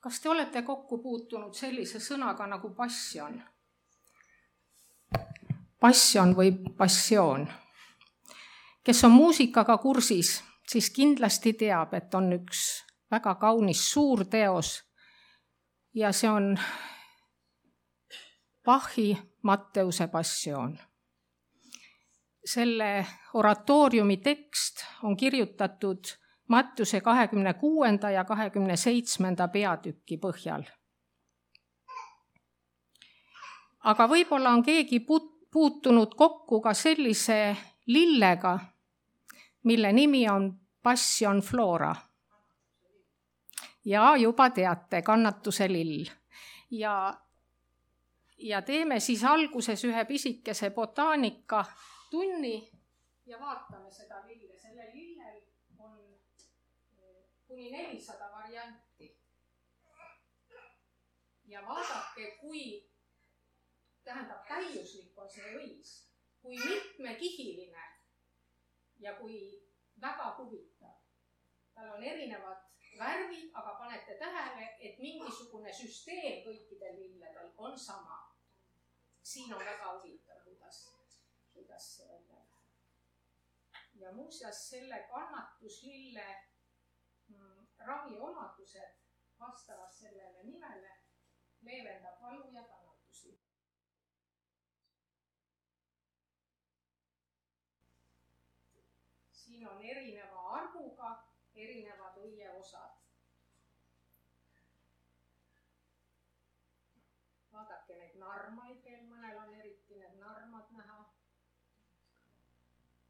Kas te olete kokku puutunud sellise sõnaga nagu passion? Passion või passioon. Kes on muusikaga kursis, siis kindlasti teab, et on üks väga kaunis suur teos ja see on Bachi Matteuse passioon. Selle oratooriumi tekst on kirjutatud Matteuse 26. ja 27. peatüki põhjal. Aga võib-olla on keegi puutunud kokku ka sellise lillega, mille nimi on Passion Flora. Ja juba teate, kannatuse lill. Ja teeme siis alguses ühe pisikese botaanika tunni ja vaatame seda lille. Selle lillel on kuni 400 varianti. Ja vaadake, kui täiuslik on see õis, kui mitmekihiline ja kui väga huvitav. Tal on erinevad värvid, aga panete tähele, et mingisugune süsteem kõikidel lilledel on sama. Siin on väga huvitav, kuidas see välja läheb. Ja muuseas selle kannatuslille raviomadused vastavalt sellele nimele leevendab valu ja kannatusi. Siin on erineva arvuga erinevad õieosad. Vaadake neid narmaid veel, mõnel on eriti need narmad näha.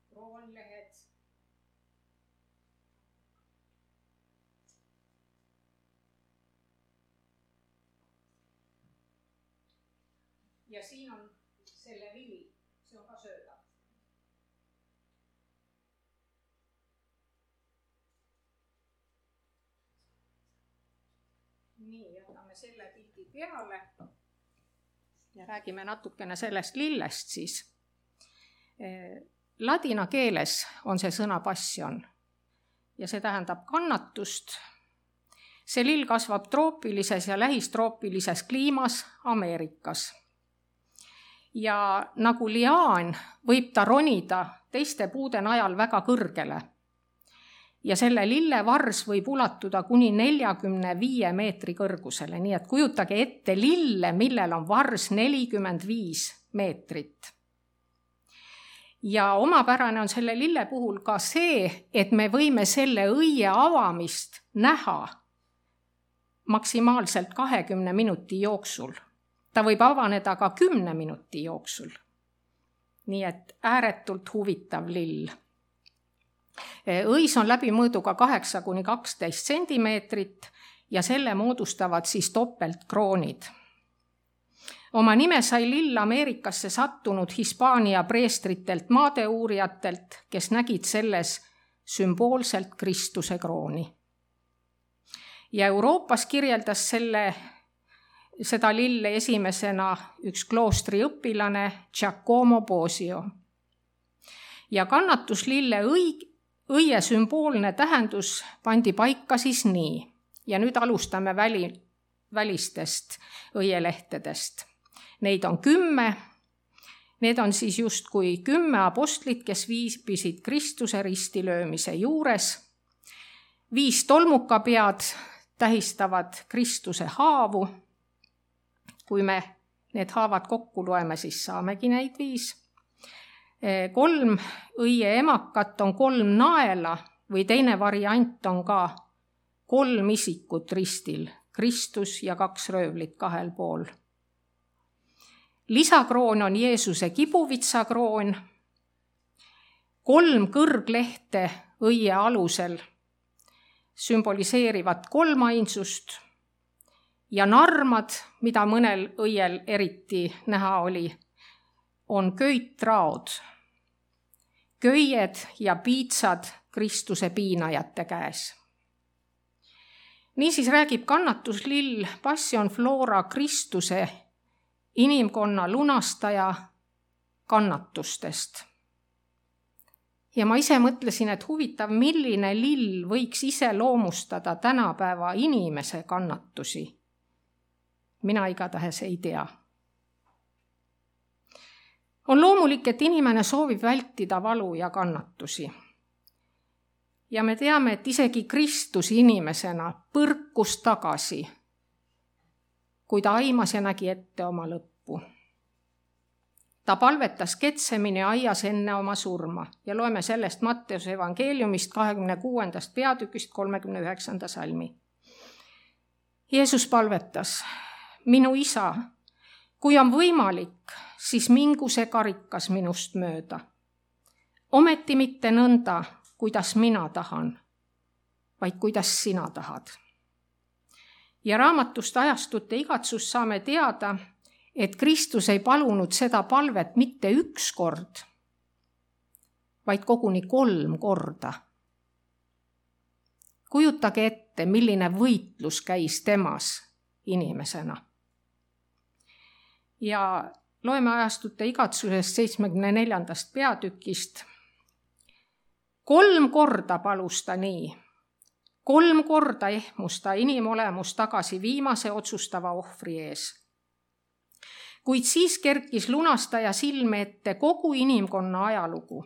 Kroonlehed. Ja siin on selle vill, see on ka söödav. Nii, jätame selle pildi peale ja räägime natukene sellest lillest siis. Ladina keeles on see sõna passion ja see tähendab kannatust. See lill kasvab troopilises ja lähistroopilises kliimas Ameerikas. Ja nagu liaan võib ta ronida teiste puude najal väga kõrgele. Ja selle lille vars võib ulatuda kuni 45 meetri kõrgusele, nii et kujutage ette lille, millel on vars 45 meetrit. Ja omapärane on selle lille puhul ka see, et me võime selle õie avamist näha maksimaalselt 20 minuti jooksul. Ta võib avaneda ka 10 minuti jooksul. Nii et ääretult huvitav lill. Õis on läbimõõduga 8–12 sentimeetrit ja selle moodustavad siis topeltkroonid. Oma nime sai lill Ameerikasse sattunud Hispaania preestritelt maadeuurijatelt, kes nägid selles sümboolselt Kristuse krooni. Ja Euroopas kirjeldas seda lille esimesena üks kloostri õpilane Giacomo Bosio. Ja kannatuslille õie sümboolne tähendus pandi paika siis nii. Ja nüüd alustame välistest õielehtedest. Neid on 10. Need on siis justkui 10 apostlit, kes viibisid Kristuse ristilöömise juures. 5 tolmukapead tähistavad Kristuse haavu. Kui me need haavad kokku loeme, siis saamegi neid 5. 3 õie emakat on 3 naela või teine variant on ka 3 isikut ristil, Kristus ja 2 röövlit 2 pool. Lisakroon on Jeesuse kibuvitsakroon. 3 kõrglehte õie alusel sümboliseerivad 3 ainsust ja narmad, mida mõnel õiel eriti näha oli, on köitraod, köied ja piitsad Kristuse piinajate käes. Niisiis räägib kannatuslill Passion Flora Kristuse inimkonna lunastaja kannatustest. Ja ma ise mõtlesin, et huvitav, milline lill võiks iseloomustada tänapäeva inimese kannatusi. Mina igatahes ei tea. On loomulik, et inimene soovib vältida valu ja kannatusi. Ja me teame, et isegi Kristus inimesena põrkus tagasi, kui ta aimas ja nägi ette oma lõppu. Ta palvetas Getsemani aias enne oma surma ja loeme sellest Matteuse evangeeliumist 26. peatükist 39. salmi. Jeesus palvetas, minu isa, kui on võimalik, siis mingu see karikas minust mööda. Ometi mitte nõnda, kuidas mina tahan, vaid kuidas sina tahad. Ja raamatust Ajastute igatsus saame teada, et Kristus ei palunud seda palvet mitte üks kord, vaid koguni 3 korda. Kujutage ette, milline võitlus käis temas inimesena. Ja loeme Ajastute igatsusest 74. peatükist. 3 korda palus ta nii. 3 korda ehmus ta inimolemus tagasi viimase otsustava ohvri ees. Kuid siis kerkis lunastaja silme ette kogu inimkonna ajalugu.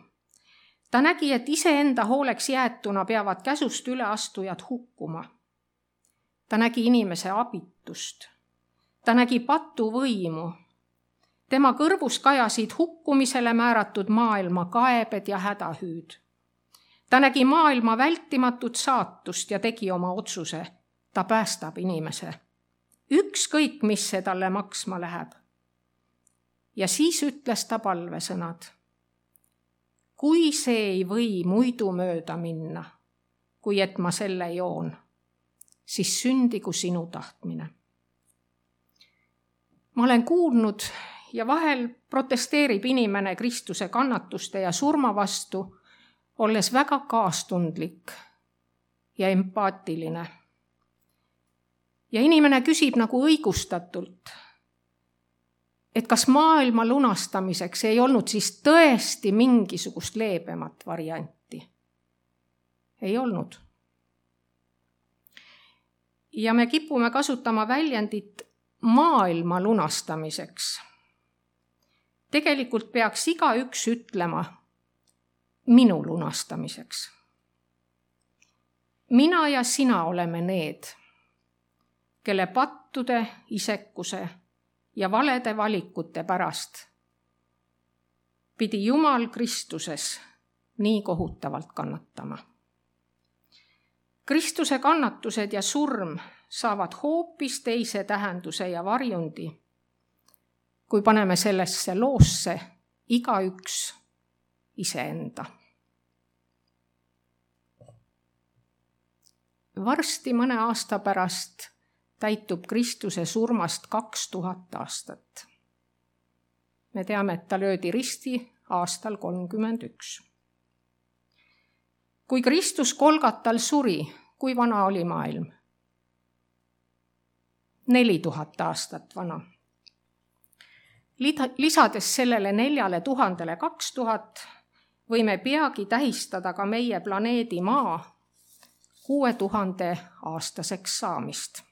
Ta nägi, et iseenda hooleks jäetuna peavad käsust üle astujad hukkuma. Ta nägi inimese abitust. Ta nägi patuvõimu. Tema kõrvus kajasid hukkumisele määratud maailma kaebed ja hädahüüd. Ta nägi maailma vältimatut saatust ja tegi oma otsuse. Ta päästab inimese. Ükskõik, mis see talle maksma läheb. Ja siis ütles ta palvesõnad. Kui see ei või muidu mööda minna, kui et ma selle joon, siis sündigu sinu tahtmine. Ma olen kuulnud ja vahel protesteerib inimene Kristuse kannatuste ja surma vastu, olles väga kaastundlik ja empaatiline. Ja inimene küsib nagu õigustatult, et kas maailma lunastamiseks ei olnud siis tõesti mingisugust leebemat varianti. Ei olnud. Ja me kipume kasutama väljendit maailma lunastamiseks. Tegelikult peaks igaüks ütlema minu lunastamiseks. Mina ja sina oleme need, kelle pattude, isekuse ja valede valikute pärast pidi Jumal Kristuses nii kohutavalt kannatama. Kristuse kannatused ja surm saavad hoopis teise tähenduse ja varjundi, kui paneme sellesse loosse igaüks iseenda. Varsti mõne aasta pärast täitub Kristuse surmast 2000 aastat. Me teame, et ta löödi risti aastal 31. Kui Kristus Golgatal suri, kui vana oli maailm? 4000 aastat vana. Lisades sellele 4000 2000, võime peagi tähistada ka meie planeedi Maa 6000 aastaseks saamist.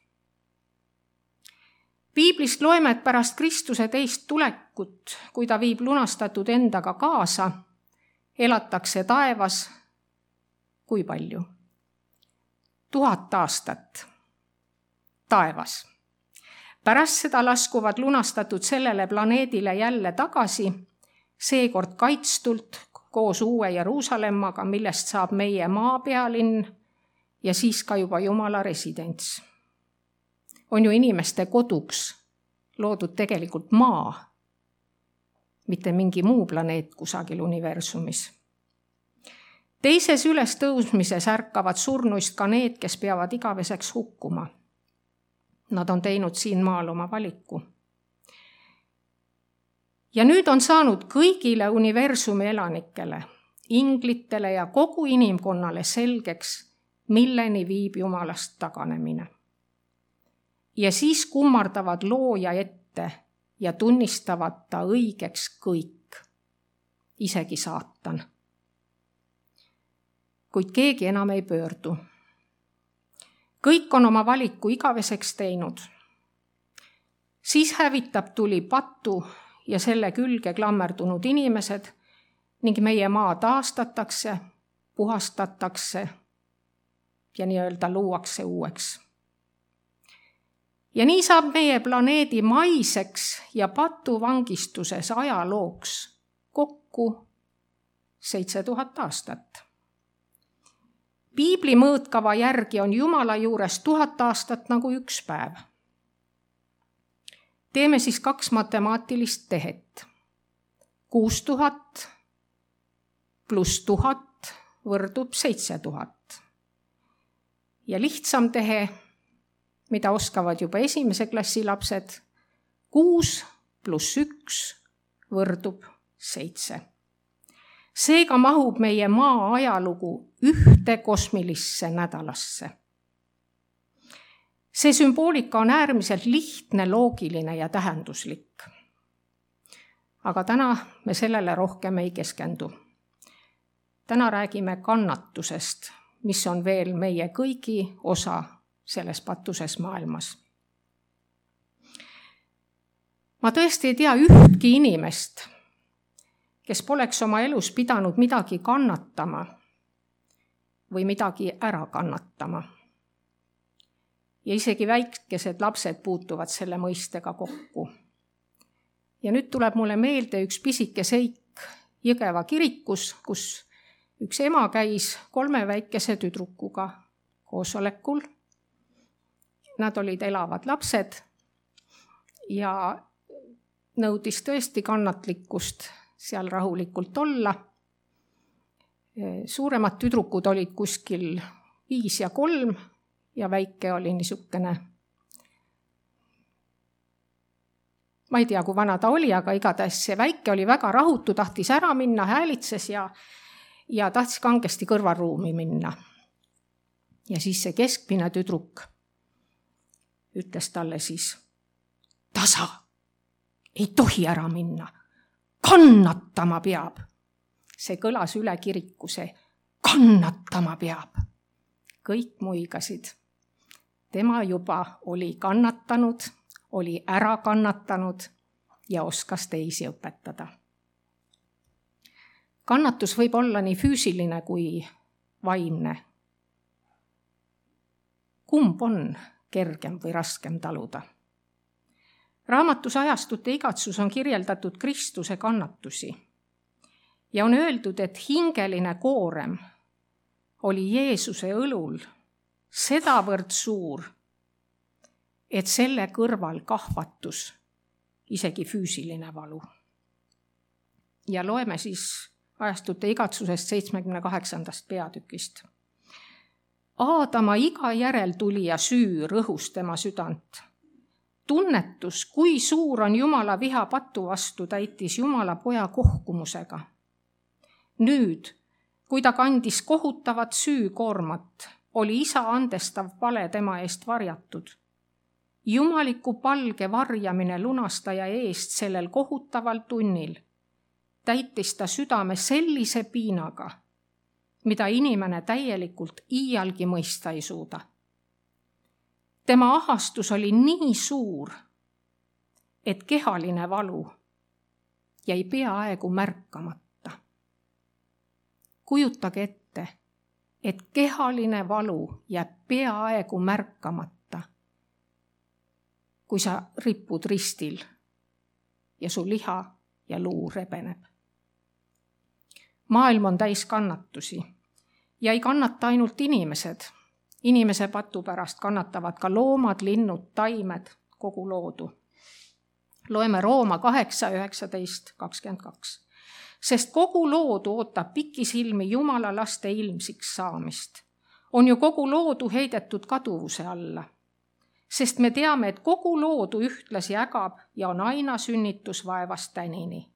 Piiblist loeme, et pärast Kristuse teist tulekut, kui ta viib lunastatud endaga kaasa, elatakse taevas kui palju? 1000 aastat taevas. Pärast seda laskuvad lunastatud sellele planeedile jälle tagasi, seekord kaitstult koos uue Jeruusalemmaga, millest saab meie maapealinn ja siis ka juba Jumala residents. On ju inimeste koduks loodud tegelikult maa, mitte mingi muu planeet kusagil universumis. Teises ülestõusmises ärkavad surnuist ka need, kes peavad igaveseks hukkuma. Nad on teinud siin maal oma valiku. Ja nüüd on saanud kõigile universumi elanikele, inglitele ja kogu inimkonnale selgeks, milleni viib Jumalast taganemine. Ja siis kummardavad looja ette ja tunnistavad ta õigeks kõik, isegi saatan. kuid keegi enam ei pöördu. kõik on oma valiku igaveseks teinud. siis hävitab tuli patu ja selle külge klammerdunud inimesed ning meie maa taastatakse, puhastatakse ja nii-öelda luuakse uueks. ja nii saab meie planeedi maiseks ja patuvangistuses ajalooks kokku 7000 aastat. Piibli mõõtkava järgi on Jumala juures 1000 aastat nagu üks päev. Teeme siis 2 matemaatilist tehet. 6000 pluss 1000 võrdub 7000. Ja lihtsam tehe, mida oskavad juba esimese klassi lapsed, 6 pluss 1 võrdub 7. Seega mahub meie maa ajalugu ühte kosmilisse nädalasse. See sümboolika on äärmiselt lihtne, loogiline ja tähenduslik. Aga täna me sellele rohkem ei keskendu. Täna räägime kannatusest, mis on veel meie kõigi osa selles patuses maailmas. Ma tõesti ei tea ühtki inimest, kes poleks oma elus pidanud midagi kannatama või midagi ära kannatama. Ja isegi väikesed lapsed puutuvad selle mõistega kokku. Ja nüüd tuleb mulle meelde üks pisike seik Jõgeva kirikus, kus üks ema käis 3 väikese tüdrukuga koosolekul. Nad olid elavad lapsed ja nõudis tõesti kannatlikkust seal rahulikult olla. Suuremad tüdrukud olid kuskil 5 ja 3 ja väike oli niisugune, ma ei tea, kui vana ta oli, aga igatahes see väike oli väga rahutu, tahtis ära minna, häälitses ja tahtis kangesti kõrvaruumi minna. Ja siis see keskmine tüdruk ütles talle siis, tasa, ei tohi ära minna. Kannatama peab. See kõlas üle kiriku, see kannatama peab. Kõik muigasid. Tema juba oli kannatanud, oli ära kannatanud ja oskas teisi õpetada. Kannatus võib olla nii füüsiline kui vaimne. Kumb on kergem või raskem taluda? Raamatus Ajastute igatsus on kirjeldatud Kristuse kannatusi ja on öeldud, et hingeline koorem oli Jeesuse õlul sedavõrd suur, et selle kõrval kahvatus isegi füüsiline valu. Ja loeme siis Ajastute igatsusest 78. peatükist. Aadama iga järeltulija süü rõhus tema südant. Tunnetus, kui suur on Jumala viha patu vastu, täitis Jumala poja kohkumusega. Nüüd, kui ta kandis kohutavat süükoormat, oli isa andestav pale tema eest varjatud. Jumaliku palge varjamine lunastaja eest sellel kohutaval tunnil täitis ta südame sellise piinaga, mida inimene täielikult iialgi mõista ei suuda. Tema ahastus oli nii suur, et kehaline valu jäi peaaegu märkamata. Kujutage ette, et kehaline valu jääb peaaegu märkamata, kui sa ripud ristil ja su liha ja luu rebeneb. Maailm on täis kannatusi ja ei kannata ainult inimesed. Inimese patu pärast kannatavad ka loomad, linnud, taimed, kogu loodu. Loeme Rooma 8, 19, 22. Sest kogu loodu ootab pikisilmi Jumala laste ilmsiks saamist. On ju kogu loodu heidetud kaduvuse alla. Sest me teame, et kogu loodu ühtlasi ägab ja on aina sünnitusvaevast tänini.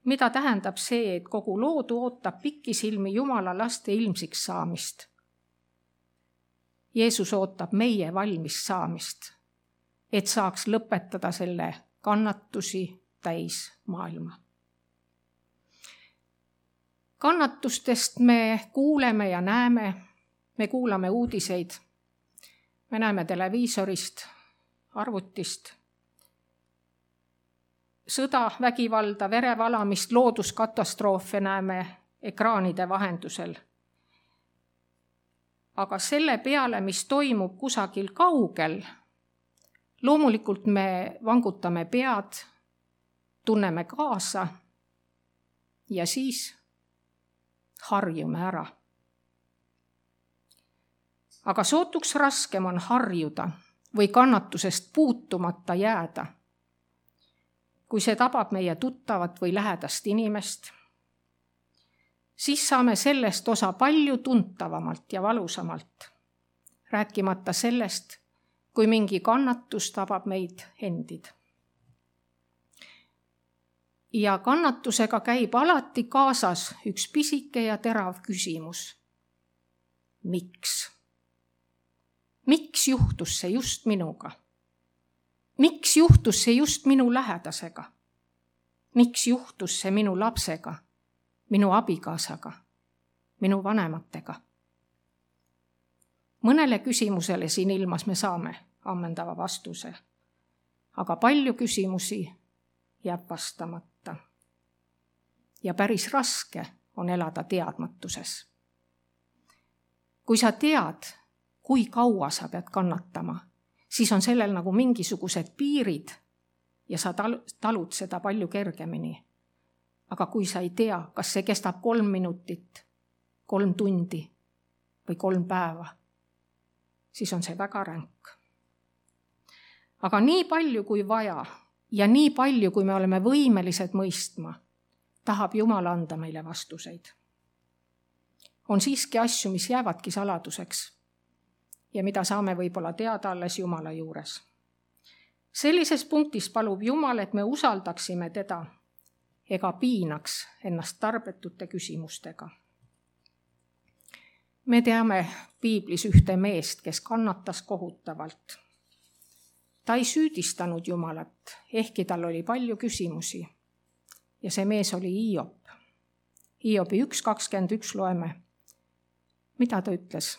Mida tähendab see, et kogu loodu ootab pikisilmi Jumala laste ilmsiks saamist? Jeesus ootab meie valmis saamist, et saaks lõpetada selle kannatusi täis maailma. Kannatustest me kuuleme ja näeme, me kuulame uudiseid, me näeme televiisorist, arvutist. Sõda, vägivalda, verevalamist, looduskatastroofe näeme ekraanide vahendusel. Aga selle peale, mis toimub kusagil kaugel, loomulikult me vangutame pead, tunneme kaasa ja siis harjume ära. Aga sootuks raskem on harjuda või kannatusest puutumata jääda, kui see tabab meie tuttavat või lähedast inimest, siis saame sellest osa palju tuntavamalt ja valusamalt, rääkimata sellest, kui mingi kannatus tabab meid endid. Ja kannatusega käib alati kaasas üks pisike ja terav küsimus. Miks? Miks juhtus see just minuga? Miks juhtus see just minu lähedasega? Miks juhtus see minu lapsega, minu abikaasaga, minu vanematega? Mõnele küsimusele siin ilmas me saame ammendava vastuse, aga palju küsimusi jääb vastamata. Ja päris raske on elada teadmatuses. Kui sa tead, kui kaua sa pead kannatama, siis on sellel nagu mingisugused piirid ja sa talud seda palju kergemini. Aga kui sa ei tea, kas see kestab 3 minutit, 3 tundi või 3 päeva, siis on see väga ränk. Aga nii palju kui vaja ja nii palju, kui me oleme võimelised mõistma, tahab Jumal anda meile vastuseid. On siiski asju, mis jäävadki saladuseks ja mida saame võib-olla teada alles Jumala juures. Sellises punktis palub Jumal, et me usaldaksime teda ega piinaks ennast tarbetute küsimustega. Me teame piiblis ühte meest, kes kannatas kohutavalt. Ta ei süüdistanud Jumalat, ehkki tal oli palju küsimusi. Ja see mees oli Hiob. Hiobi 1.21 loeme. Mida ta ütles?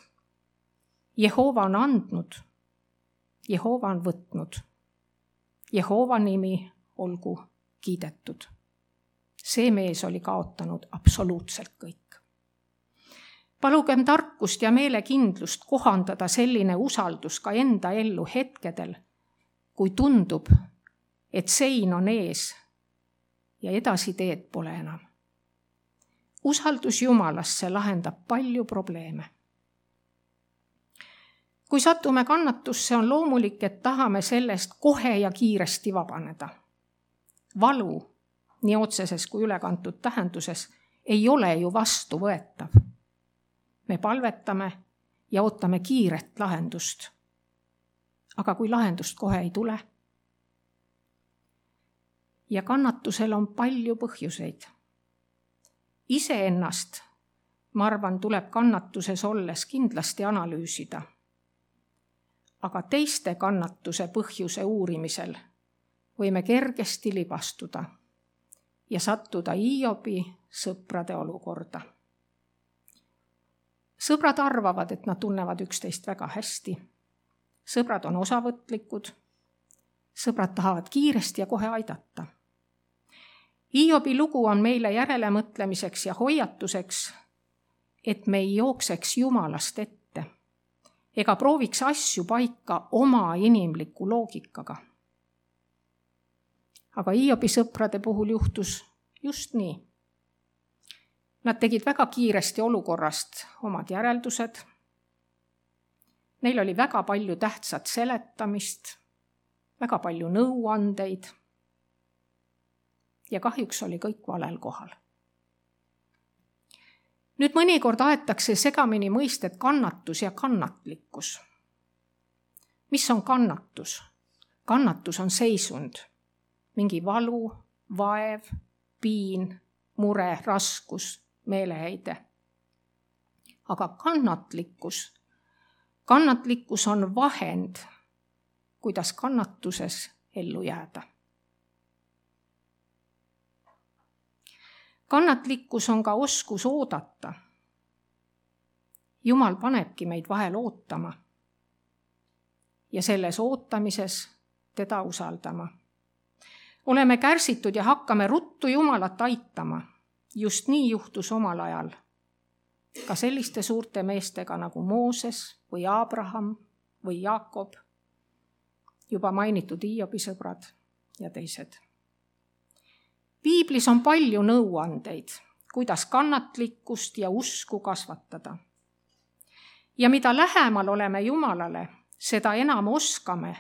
Jehova on andnud, Jehova on võtnud. Jehova nimi olgu kiidetud. See mees oli kaotanud absoluutselt kõik. Palugem tarkust ja meelekindlust kohandada selline usaldus ka enda ellu hetkedel, kui tundub, et sein on ees ja edasi teed pole enam. Usaldus Jumalasse lahendab palju probleeme. Kui satume kannatusse, on loomulik, et tahame sellest kohe ja kiiresti vabaneda. Valu, nii otseses kui ülekantud tähenduses, ei ole ju vastuvõetav. Me palvetame ja ootame kiiret lahendust. Aga kui lahendust kohe ei tule? Ja kannatusel on palju põhjuseid. Iseennast, ma arvan, tuleb kannatuses olles kindlasti analüüsida. Aga teiste kannatuse põhjuse uurimisel võime kergesti libastuda ja sattuda Hiobi sõprade olukorda. Sõbrad arvavad, et nad tunnevad üksteist väga hästi. Sõbrad on osavõtlikud. Sõbrad tahavad kiiresti ja kohe aidata. Hiobi lugu on meile järelemõtlemiseks ja hoiatuseks, et me ei jookseks Jumalast ette ega prooviks asju paika oma inimliku loogikaga. Aga Hiobi sõprade puhul juhtus just nii. Nad tegid väga kiiresti olukorrast omad järeldused. Neil oli väga palju tähtsat seletamist, väga palju nõuandeid ja kahjuks oli kõik valel kohal. Nüüd mõnikord aetakse segamini mõisted kannatus ja kannatlikkus. Mis on kannatus? Kannatus on seisund, mingi valu, vaev, piin, mure, raskus, meeleheide. Aga kannatlikkus on vahend, kuidas kannatuses ellu jääda. Kannatlikkus on ka oskus oodata. Jumal panebki meid vahel ootama ja selles ootamises teda usaldama. Oleme kärsitud ja hakkame ruttu Jumalat aitama. Just nii juhtus omal ajal ka selliste suurte meestega nagu Mooses või Abraham või Jaakob, juba mainitud Hiobi sõbrad ja teised. Piiblis on palju nõuandeid, kuidas kannatlikkust ja usku kasvatada. Ja mida lähemal oleme Jumalale, seda enam oskame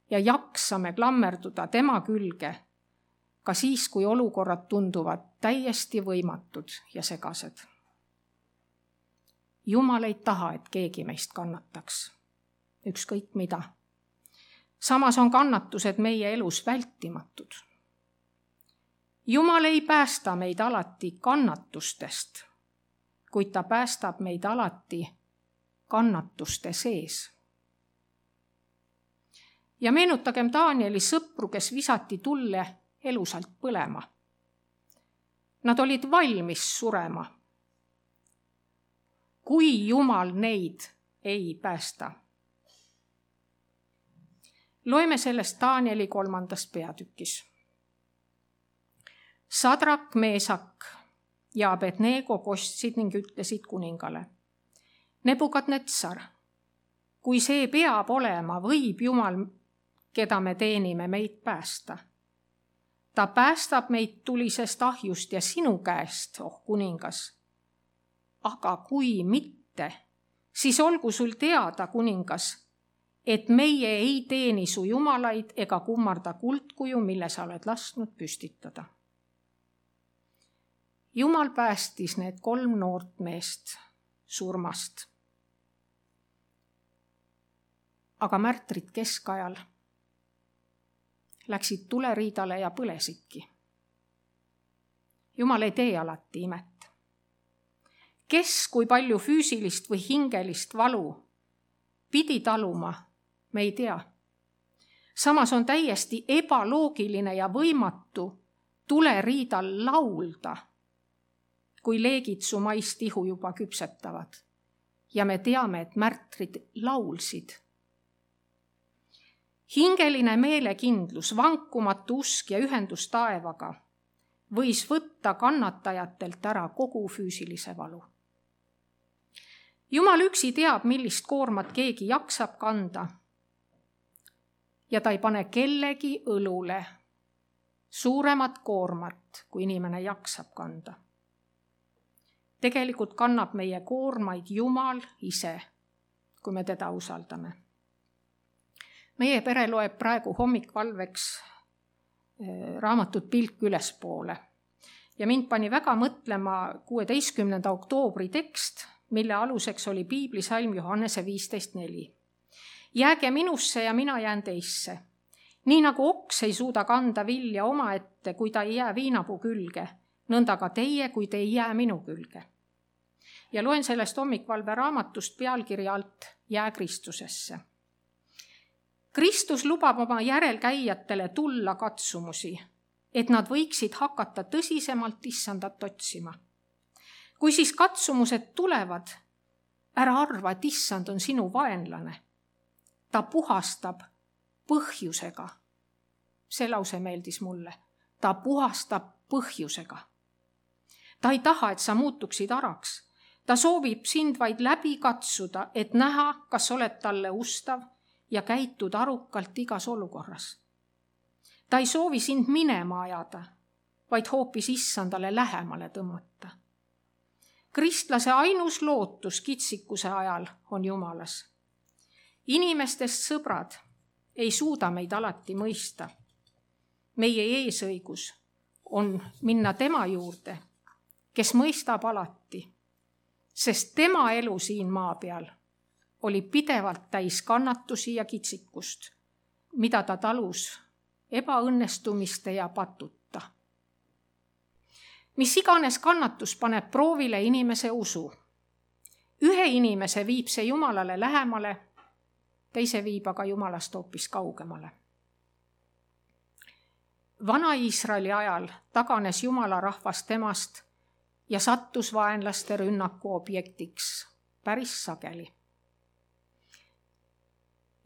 ja jaksame klammerduda tema külge, ka siis, kui olukorrad tunduvad täiesti võimatud ja segased. Jumal ei taha, et keegi meist kannataks, ükskõik mida. Samas on kannatused meie elus vältimatud. Jumal ei päästa meid alati kannatustest, kuid ta päästab meid alati kannatuste sees. Ja meenutagem Danieli sõpru, kes visati tulle elusalt põlema. Nad olid valmis surema, kui Jumal neid ei päästa. Loeme sellest Danieli 3. peatükis. Sadrak, Meesak ja Abednego kostsid ning ütlesid kuningale: Nebukadnetsar, kui see peab olema, võib Jumal, keda me teenime, meid päästa. Ta päästab meid tulisest ahjust ja sinu käest, oh kuningas. Aga kui mitte, siis olgu sul teada, kuningas, et meie ei teeni su jumalaid ega kummarda kuldkuju, mille sa oled lasknud püstitada. Jumal päästis need 3 noort meest surmast. Aga märtrid keskajal läksid tuleriidale ja põlesidki. Jumal ei tee alati imet. Kes kui palju füüsilist või hingelist valu pidi taluma, me ei tea. Samas on täiesti ebaloogiline ja võimatu tuleriidal laulda, kui leegid su maist ihu juba küpsetavad. Ja me teame, et märtrid laulsid. Hingeline meelekindlus, vankumatu usk ja ühendus taevaga võis võtta kannatajatelt ära kogu füüsilise valu. Jumal üksi teab, millist koormat keegi jaksab kanda ja ta ei pane kellegi õlule suuremat koormat, kui inimene jaksab kanda. Tegelikult kannab meie koormaid Jumal ise, kui me teda usaldame. Meie pere loeb praegu hommikvalveks raamatut Pilk ülespoole ja mind pani väga mõtlema 16. oktoobri tekst, mille aluseks oli piiblisalm Johannese 15.4. Jääge minusse ja mina jään teisse. Nii nagu oks ei suuda kanda vilja omaette, kui ta ei jää viinapuu külge, nõnda ka teie, kui te ei jää minu külge. Ja loen sellest hommikvalve raamatust pealkirja alt Jää Kristusesse. Kristus lubab oma järelkäijatele tulla katsumusi, et nad võiksid hakata tõsisemalt issandat otsima. Kui siis katsumused tulevad, ära arva, et issand on sinu vaenlane. Ta puhastab põhjusega. See lause meeldis mulle. Ta puhastab põhjusega. Ta ei taha, et sa muutuksid araks. Ta soovib sind vaid läbi katsuda, et näha, kas oled talle ustav ja käitud arukalt igas olukorras. Ta ei soovi sind minema ajada, vaid hoopis issandale lähemale tõmmata. Kristlase ainus lootus kitsikuse ajal on Jumalas. Inimestest sõbrad ei suuda meid alati mõista. Meie eesõigus on minna tema juurde, kes mõistab alati, sest tema elu siin maa peal oli pidevalt täis kannatusi ja kitsikust, mida ta talus ebaõnnestumiste ja patutta. Mis iganes kannatus paneb proovile inimese usu. Ühe inimese viib see Jumalale lähemale, teise viib aga Jumalast hoopis kaugemale. Vana Iisraeli ajal taganes Jumala rahvas temast, ja sattus vaenlaste rünnaku objektiks päris sageli.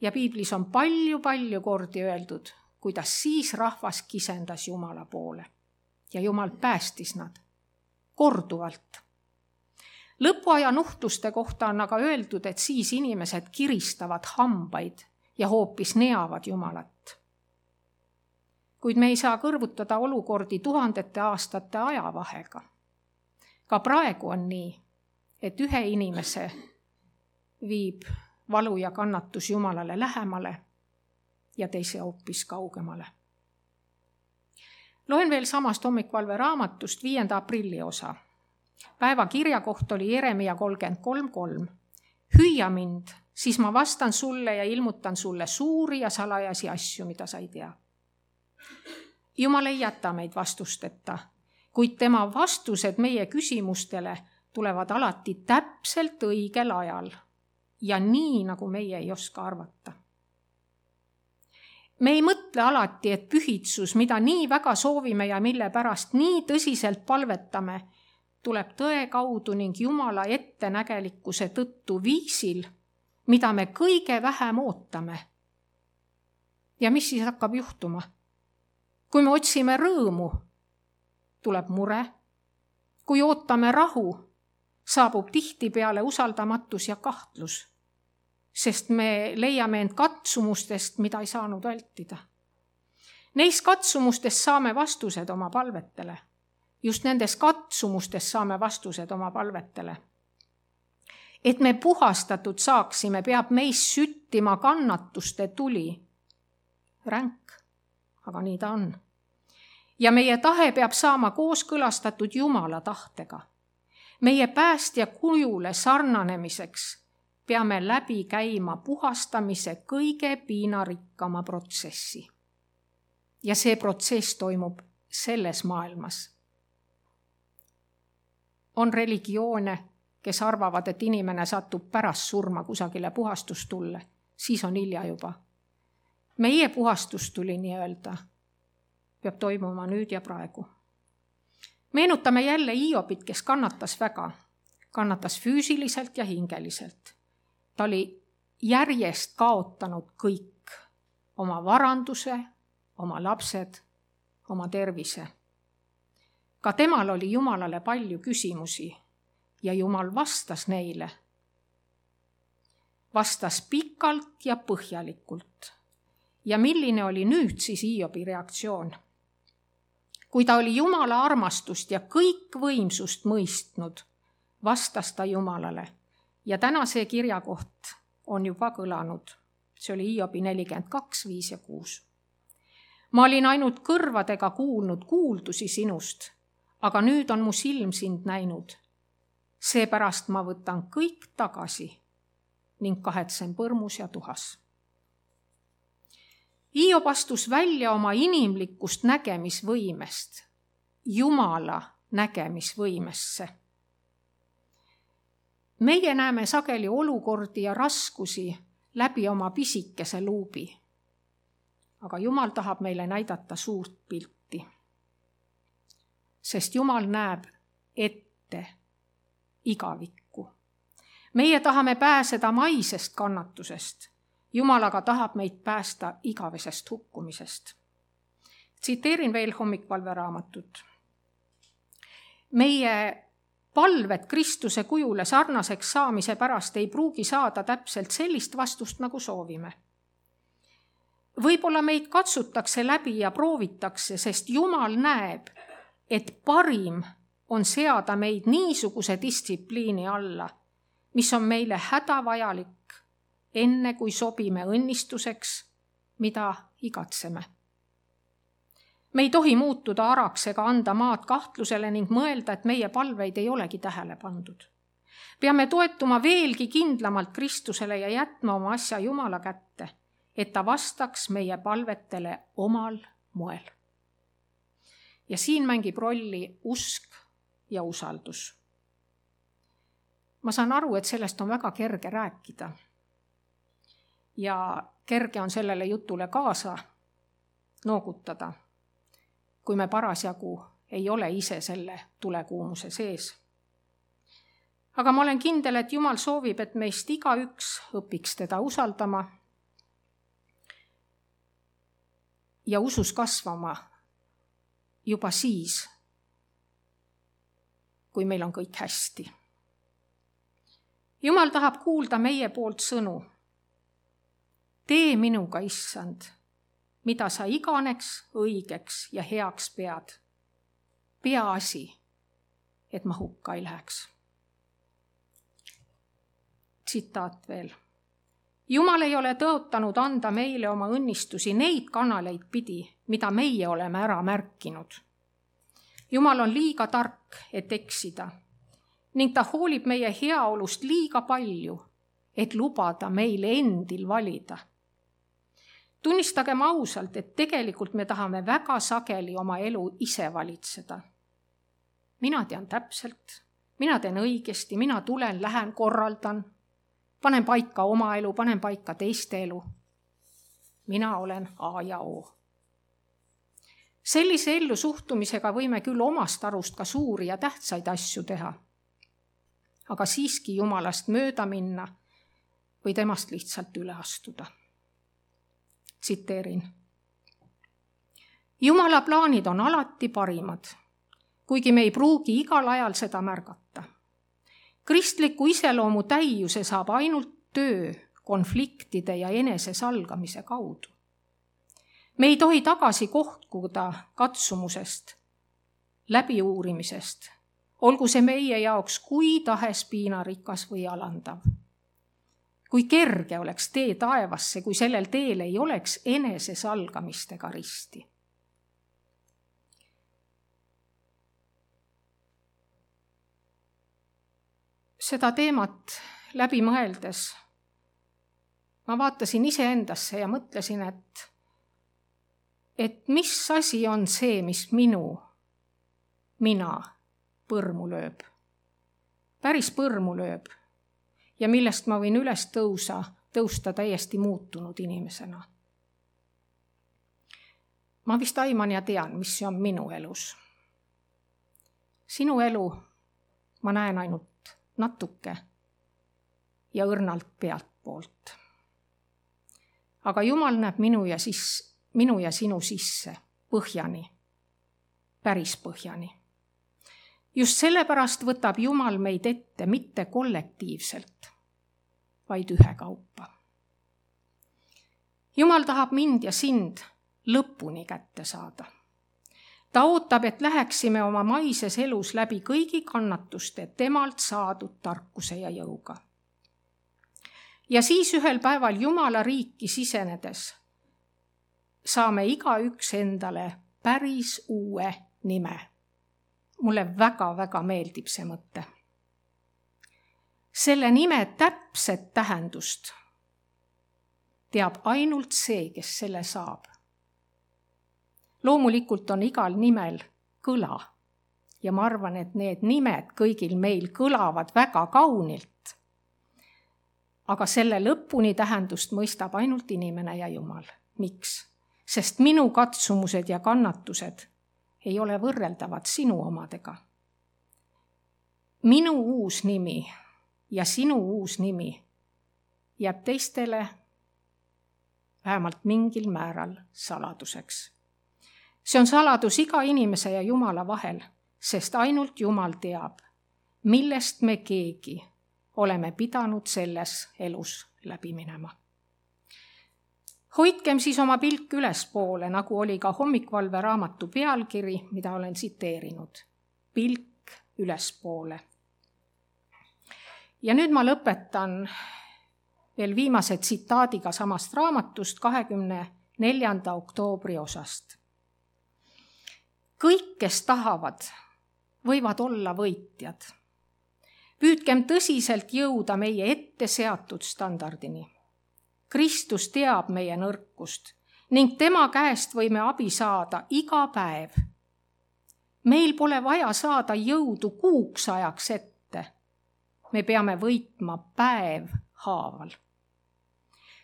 Ja piiblis on palju kordi öeldud, kuidas siis rahvas kisendas Jumala poole ja Jumal päästis nad korduvalt. Lõpuaja nuhtluste kohta on aga öeldud, et siis inimesed kiristavad hambaid ja hoopis neavad Jumalat. Kuid me ei saa kõrvutada olukordi tuhandete aastate ajavahega. Ka praegu on nii, et ühe inimese viib valu ja kannatus Jumalale lähemale ja teise hoopis kaugemale. Loen veel samast hommikvalve raamatust 5. aprilli osa. Päeva kirjakoht oli Jeremia 33:3. Hüüa mind, siis ma vastan sulle ja ilmutan sulle suuri ja salajasi asju, mida sa ei tea. Jumal ei jäta meid vastusteta, kuid tema vastused meie küsimustele tulevad alati täpselt õigel ajal ja nii, nagu meie ei oska arvata. Me ei mõtle alati, et pühitsus, mida nii väga soovime ja mille pärast nii tõsiselt palvetame, tuleb tõe kaudu ning Jumala ettenägelikkuse tõttu viisil, mida me kõige vähem ootame. Ja mis siis hakkab juhtuma? Kui me otsime rõõmu, tuleb mure. Kui ootame rahu, saabub tihtipeale usaldamatus ja kahtlus, sest me leiame end katsumustest, mida ei saanud vältida. Neis katsumustest saame vastused oma palvetele. Just nendes katsumustest saame vastused oma palvetele. Et me puhastatud saaksime, peab meis süttima kannatuste tuli. Ränk, aga nii ta on. Ja meie tahe peab saama kooskõlastatud Jumala tahtega. Meie päästja kujule sarnanemiseks peame läbi käima puhastamise kõige piinarikkama protsessi. Ja see protsess toimub selles maailmas. On religioone, kes arvavad, et inimene satub pärast surma kusagile puhastustulle, siis on hilja juba. Meie puhastustuli nii-öelda peab toimuma nüüd ja praegu. Meenutame jälle Hiobit, kes kannatas väga. Kannatas füüsiliselt ja hingeliselt. Ta oli järjest kaotanud kõik. Oma varanduse, oma lapsed, oma tervise. Ka temal oli Jumalale palju küsimusi ja Jumal vastas neile. Vastas pikalt ja põhjalikult. Ja milline oli nüüd siis Hiobi reaktsioon? Kui ta oli Jumala armastust ja kõikvõimsust mõistnud, vastas ta Jumalale. Ja täna see kirjakoht on juba kõlanud. See oli Hiobi 42, 5 ja 6. Ma olin ainult kõrvadega kuulnud kuuldusi sinust, aga nüüd on mu silm sind näinud. Seepärast ma võtan kõik tagasi ning kahetsen põrmus ja tuhas. Hiob astus välja oma inimlikust nägemisvõimest, Jumala nägemisvõimesse. Meie näeme sageli olukordi ja raskusi läbi oma pisikese luubi. Aga Jumal tahab meile näidata suurt pilti. Sest Jumal näeb ette igavikku. Meie tahame pääseda maisest kannatusest. Jumal aga tahab meid päästa igavesest hukkumisest. Tsiteerin veel hommikvalve raamatut. Meie palved Kristuse kujule sarnaseks saamise pärast ei pruugi saada täpselt sellist vastust, nagu soovime. Võib-olla meid katsutakse läbi ja proovitakse, sest Jumal näeb, et parim on seada meid niisuguse distsipliini alla, mis on meile hädavajalik, enne kui sobime õnnistuseks, mida igatseme. Me ei tohi muutuda araks ega anda maad kahtlusele ning mõelda, et meie palveid ei olegi tähele pandud. Peame toetuma veelgi kindlamalt Kristusele ja jätma oma asja Jumala kätte, et ta vastaks meie palvetele omal moel. Ja siin mängib rolli usk ja usaldus. Ma saan aru, et sellest on väga kerge rääkida. Ja kerge on sellele jutule kaasa noogutada, kui me parasjagu ei ole ise selle tulekuumuse sees. Aga ma olen kindel, et Jumal soovib, et meist igaüks õpiks teda usaldama ja usus kasvama juba siis, kui meil on kõik hästi. Jumal tahab kuulda meie poolt sõnu. Tee minuga, Issand, mida sa iganeks, õigeks ja heaks pead. Peaasi, et ma hukka ei läheks. Tsitaat veel. Jumal ei ole tõotanud anda meile oma õnnistusi neid kanaleid pidi, mida meie oleme ära märkinud. Jumal on liiga tark, et eksida, ning ta hoolib meie heaolust liiga palju, et lubada meile endil valida. Tunnistagem ausalt, et tegelikult me tahame väga sageli oma elu ise valitseda. Mina tean täpselt, mina teen õigesti, mina tulen, lähen, korraldan, panen paika oma elu, panen paika teiste elu. Mina olen A ja O. Sellise ellu suhtumisega võime küll omast arust ka suuri ja tähtsaid asju teha, aga siiski Jumalast mööda minna või temast lihtsalt üle astuda. Tsiteerin. Jumala plaanid on alati parimad, kuigi me ei pruugi igal ajal seda märgata. Kristliku iseloomu täiuse saab ainult töö, konfliktide ja enesesalgamise kaudu. Me ei tohi tagasi kohkuda katsumusest, läbiuurimisest, olgu see meie jaoks kui tahes piinarikas või alandav. Kui kerge oleks tee taevasse, kui sellel teel ei oleks enesesalgamistega risti. Seda teemat läbi mõeldes ma vaatasin iseendasse ja mõtlesin, et mis asi on see, mis mina põrmu lööb. Päris põrmu lööb ja millest ma võin üles tõusta täiesti muutunud inimesena. Ma vist aiman ja tean, mis see on minu elus. Sinu elu ma näen ainult natuke ja õrnalt pealtpoolt. Aga Jumal näeb minu ja sinu sisse põhjani, päris põhjani. Just sellepärast võtab Jumal meid ette mitte kollektiivselt, vaid ühekaupa. Jumal tahab mind ja sind lõpuni kätte saada. Ta ootab, et läheksime oma maises elus läbi kõigi kannatuste temalt saadud tarkuse ja jõuga. Ja siis ühel päeval Jumala riiki sisenedes saame igaüks endale päris uue nime. Mulle väga-väga meeldib see mõte. Selle nime täpset tähendust teab ainult see, kes selle saab. Loomulikult on igal nimel kõla ja ma arvan, et need nimed kõigil meil kõlavad väga kaunilt. Aga selle lõpuni tähendust mõistab ainult inimene ja Jumal. Miks? Sest minu katsumused ja kannatused ei ole võrreldavad sinu omadega. Minu uus nimi ja sinu uus nimi jääb teistele vähemalt mingil määral saladuseks. See on saladus iga inimese ja Jumala vahel, sest ainult Jumal teab, millest me keegi oleme pidanud selles elus läbi minema. Hoidkem siis oma pilk ülespoole, nagu oli ka hommikvalve raamatu pealkiri, mida olen tsiteerinud. Pilk ülespoole. Ja nüüd ma lõpetan veel viimase tsitaadiga samast raamatust 24. oktoobri osast. Kõik, kes tahavad, võivad olla võitjad. Püüdkem tõsiselt jõuda meie ette seatud standardini. Kristus teab meie nõrkust ning tema käest võime abi saada iga päev. Meil pole vaja saada jõudu kuuks ajaks ette. Me peame võitma päev haaval.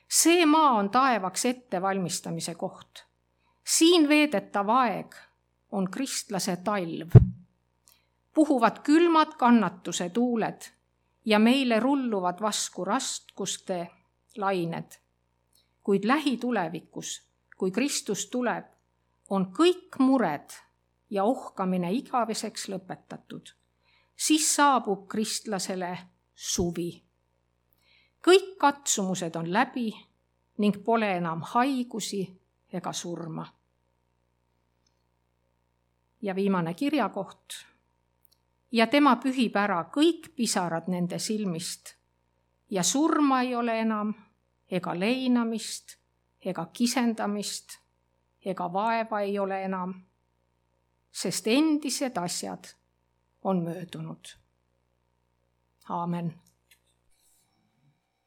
See maa on taevaks ettevalmistamise koht. Siin veedetav aeg on kristlase talv. Puhuvad külmad kannatuse tuuled ja meile rulluvad vasku raskuste lained. Kuid lähitulevikus, kui Kristus tuleb, on kõik mured ja ohkamine igaveseks lõpetatud. Siis saabub kristlasele suvi. Kõik katsumused on läbi ning pole enam haigusi ega surma. Ja viimane kirjakoht. Ja tema pühib ära kõik pisarad nende silmist ja surma ei ole enam ega leinamist ega kisendamist ega vaeva ei ole enam, sest endised asjad on möödunud. Aamen.